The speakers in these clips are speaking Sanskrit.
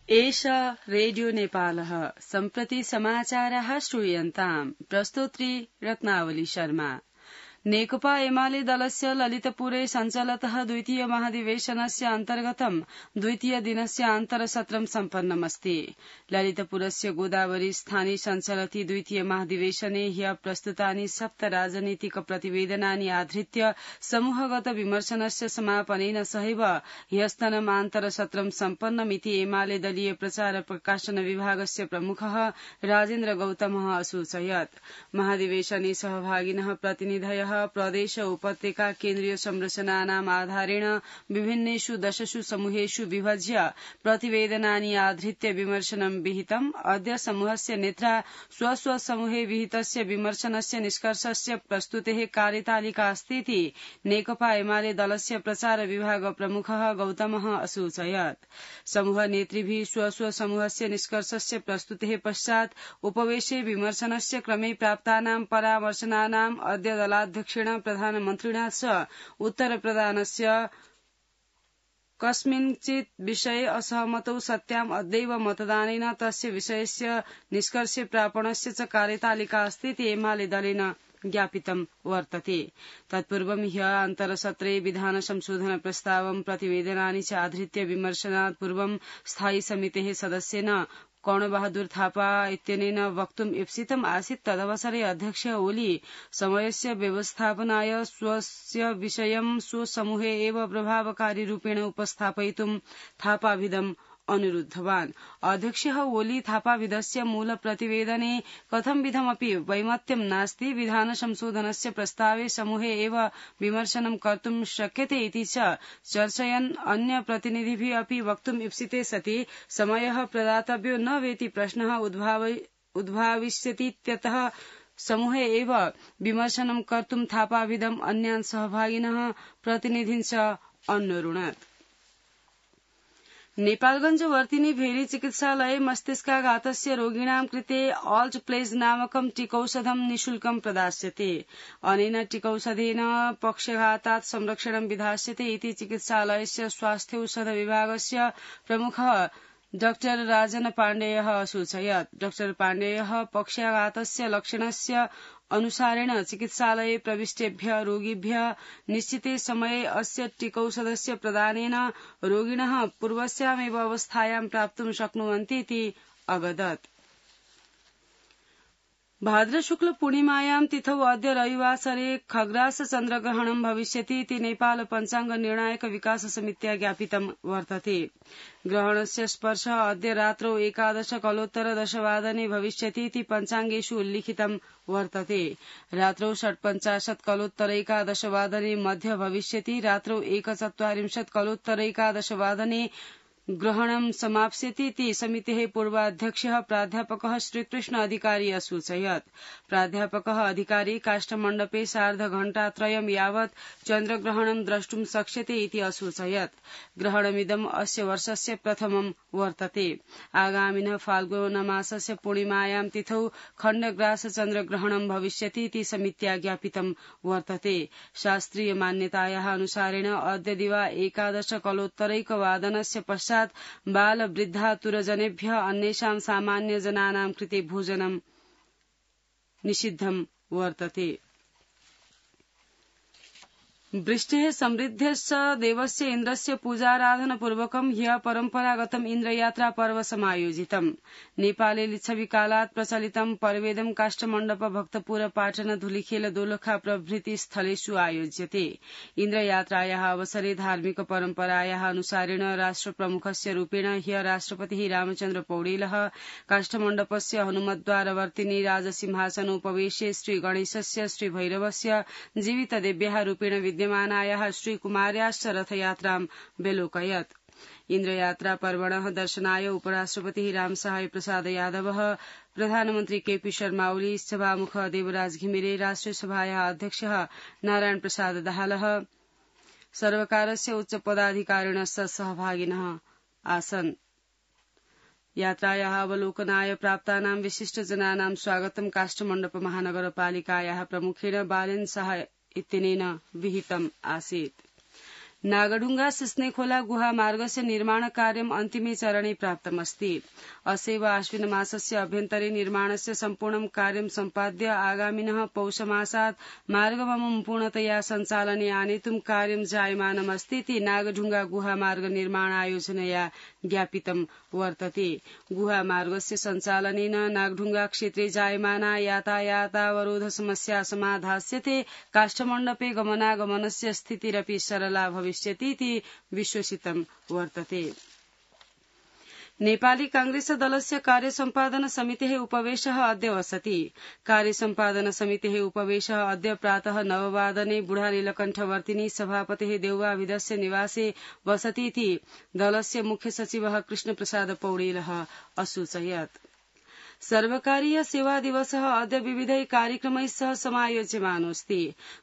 एषा रेडियो नेपालः सम्प्रति समाचाराः श्रूयन्ताम् प्रस्तोत्री रत्नावली शर्मा। नेकपा एमाले दलस्य ललितपुरे सञ्चालितः द्वितीय महाधिवेशनस्य अन्तर्गतं द्वितीय दिनस्य अन्तरसत्रं सम्पन्नमस्ति। ललितपुरस्य गोदावरी स्थाने सञ्चालिते द्वितीय महाधिवेशने ह्यः प्रस्तुतानि 7 राजनीतिक प्रतिवेदनानि आधृत्य समूहगत विमर्शनस्य समापनेन सहैव ह्यस्तनम् अन्तरसत्रं सम्पन्नमिति एमाले दलीय प्रचार प्रकाशन विभागस्य प्रमुखः राजेन्द्र गौतमः असूचयत्। महाधिवेशने सहभागिनः प्रतिनिधयः प्रदेश उपत्यका केन्द्रीय संरचनानाम् आधारेण विभिन्नेषु 10 समूहेषु विभज्य प्रतिवेदनानि आधृत्य विमर्शनं विहितम्। अद्य समूहस्य नेत्रा स्वस्व समूहे विहितस्य विमर्शनस्य निष्कर्षस्य प्रस्तुतेः कार्यतालिका अस्तीति नेकपा एमाले दलस्य प्रचार विभाग प्रमुखः गौतमः असूचयत्। समूह नेतृभिः स्वस्व समूहस्य निष्कर्षस्य प्रस्तुतेः पश्चात् उपवेशे विमर्शनस्य क्रमे प्राप्तानां परामर्शनानाम् अद्य दलाध्यक्षेण प्रधानमन्त्रिणा च उत्तरप्रदानस्य कस्मिंश्चित् विषये असहमतौ सत्याम् अद्यैव मतदानेन तस्य विषयस्य निष्कर्षे प्रापणस्य च कार्यतालिका अस्तीति एमाले दलेन ज्ञापितं वर्तते। तत्पूर्वं ह्यः अन्तरसत्रे विधान संशोधन प्रस्तावं प्रतिवेदनानि च आधृत्य विमर्शनात् पूर्वं स्थायी समितेः सदस्येन कर्णबहादुर थापा इत्यनेन वक्तुम् ईप्सितम् आसीत्। तदवसरे अध्यक्ष ओली समयस्य व्यवस्थापनाय स्वस्य विषयं स्वसमूहे एव प्रभावकारी रूपेण उपस्थापयितुं थापाविदम् अनुरुद्धवान्। अध्यक्षः ओली थापाविदस्य मूल प्रतिवेदने कथंविधमपि वैमत्यं नास्ति, विधान संशोधनस्य प्रस्तावे समूहे एव विमर्शनं कर्तुं शक्यते इति च चर्चयन् अन्य प्रतिनिधिभिः अपि वक्तुम् ईप्सिते सति समयः प्रदातव्यो न वेति प्रश्नः उद्भाविष्यतीत्यतः समूहे एव विमर्शनं कर्तुं थापाविदम् अन्यान् सहभागिनः प्रतिनिधीन् च अन्वरुणत्। नेपालगंज वर्तिनी भेरी चिकित्सालये मस्तिष्काघातस्य रोगिणां कृते ऑल्ट प्लेज नामकं टीकौषधं निःशुल्कं प्रदास्यते। अनेन टीकौषधेन पक्षघातात् संरक्षणं विधास्यते इति चिकित्सालयस्य स्वास्थ्यौषध विभागस्य प्रमुखः डॉक्टर राजन पाण्डेयः असूचयत्। डॉक्टर पाण्डेयः पक्षाघातस्य लक्षणस्य अनुसारेण चिकित्सालये प्रविष्टेभ्यः रोगिभ्यः निश्चिते समये अस्य टीकौषधस्य प्रदानेन रोगिणः पूर्वस्यामेव अवस्थायां प्राप्तुं शक्नुवन्ति इति अवदत्। भाद्र शुक्ल पूर्णिमायां तिथौ अद्य रविवासरे खग्रास चन्द्रग्रहणं भविष्यति इति नेपाल पञ्चाङ्ग निर्णायक विकास समित्या ज्ञापितं वर्तते। ग्रहणस्य स्पर्शः अद्य रात्रौ 11:10 भविष्यति इति पञ्चाङ्गेषु उल्लिखितं वर्तते। रात्रौ 11:45 मध्य भविष्यति। रात्रौ 1:40 ग्रहणं समाप्स्यति इति समितेः पूर्वाध्यक्षः प्राध्यापकः श्रीकृष्ण अधिकारी असूचयत्। प्राध्यापकः अधिकारी काष्ठमण्डपे सार्धघण्टात्रयं यावत् चन्द्रग्रहणं द्रष्टुं शक्ष्यते इति असूचयत्। ग्रहणमिदम् अस्य वर्षस्य प्रथमं वर्तते। आगामिनः फाल्गुनमासस्य पूर्णिमायां तिथौ खण्डग्रास चन्द्रग्रहणं भविष्यति इति समित्या ज्ञापितं वर्तते। शास्त्रीय मान्यतायाः अनुसारेण अद्य दिवा 11:01 पश्चात् बाल वृद्धातुरजनेभ्यः अन्येषां सामान्य जनानां कृते भोजनं निषिद्धं वर्तते। वृष्टेः समृद्धश्च देवस्य इन्द्रस्य पूजाराधनपूर्वकं ह्यः परम्परागतम् इन्द्रयात्रा पर्व समायोजितम्। नेपाले लिच्छविकालात् प्रचलितं पर्वेदं काष्ठमण्डप भक्तपुर पाटन धुलिखेल दोलखा प्रभृति स्थलेषु आयोज्यते। इन्द्रयात्रायाः अवसरे धार्मिक परम्परायाः अनुसारेण राष्ट्रप्रमुखस्य रूपेण ह्यः राष्ट्रपतिः रामचन्द्र पौडेलः काष्ठमण्डपस्य हनुमद्वारवर्तिनी राजसिंहासनोपवेशे श्रीगणेशस्य श्रीभैरवस्य जीवितदेव्याः रूपेण विद्यमानायाः श्रीकुमार्याश्च रथयात्रां व्यलोकयत्। इन्द्रयात्रा पर्वणः दर्शनाय उपराष्ट्रपतिः रामसहाय प्रसाद यादवः, प्रधानमन्त्री केपी शर्मा ओली, सभामुखः देवराज घिमिरे, राष्ट्रियसभायाः अध्यक्षः नारायण प्रसाद दाहालः सर्वकारस्य उच्च पदाधिकारिणश्च सहभागिनः आसन्। यात्रायाः अवलोकनाय प्राप्तानां विशिष्टजनानां स्वागतं काष्ठमण्डप महानगरपालिकायाः प्रमुखेण बालेन शाह इत्यनेन विहितम् आसीत्। नागढुङ्गा सिस्नेखोला गुहामार्गस्य निर्माणकार्यम् अन्तिमे चरणे प्राप्तमस्ति। अस्यैव आश्विनमासस्य अभ्यन्तरे निर्माणस्य सम्पूर्णं कार्यं सम्पाद्य आगामिनः पौषमासात् मार्गमं पूर्णतया सञ्चालने आनेतुं कार्यं जायमानमस्ति इति नागढुङ्गा गुहामार्ग निर्माणायोजनया ज्ञापितं वर्तते। गुहामार्गस्य सञ्चालनेन नागढुङ्गा क्षेत्रे जायमाना यातायातावरोध समस्या समाधास्यते, काष्ठमण्डपे गमनागमनस्य स्थितिरपि सरला भविष्यति इति विश्वसितं वर्तते। नेपाली कांग्रेस दलस्य कार्यसम्पादन समितेः उपवेशः अद्य वसति। कार्यसम्पादन समितेः उपवेशः अद्य प्रातः 9 वादने बुढानीलकण्ठवर्तिनी सभापतेः देउवाभिधस्य निवासे वसति इति दलस्य मुख्य सचिवः कृष्णप्रसाद पौडेलः असूचयत्। सर्वकारीय सेवा दिवसः अद्य विविधैः कार्यक्रमैः सह समायोज्यमानोऽस्ति।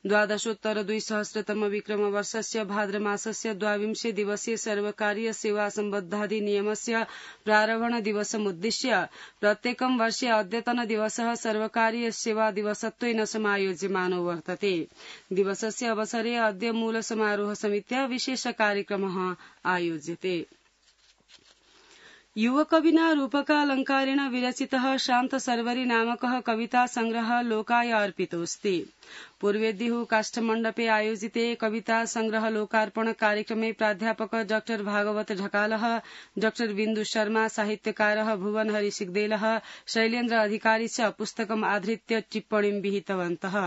12,200 विक्रमवर्षस्य भाद्रमासस्य 22 दिवसीय सर्वकारीय सेवा सम्बद्धाधिनियमस्य प्रारम्भण दिवसमुद्दिश्य प्रत्येकं वर्षे अद्यतन दिवसः सर्वकारीय सेवा दिवसत्वेन समायोज्यमानो वर्तते। दिवसस्य अवसरे अद्य मूल समारोह समित्या विशेष कार्यक्रमः आयोज्यते। युवकविना रूपकालंकारेण विरचितः शान्त सर्वरी नामकः कविता संग्रहः लोकाय अर्पितोऽस्ति। पूर्वेद्युः काष्ठमण्डपे आयोजिते कविता संग्रह लोकार्पण कार्यक्रमे प्राध्यापक डॉ भागवत ढकालः, डॉ बिन्दु शर्मा, साहित्यकारः भुवनहरि सिग्देलः, शैलेन्द्र अधिकारी च पुस्तकम् आधृत्य टिप्पणीं विहितवन्तः।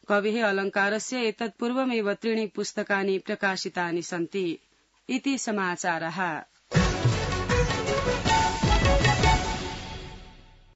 कवेः अलङ्कारस्य एतत् पूर्वमेव 3 पुस्तकानि प्रकाशितानि सन्ति। इति समाचारः।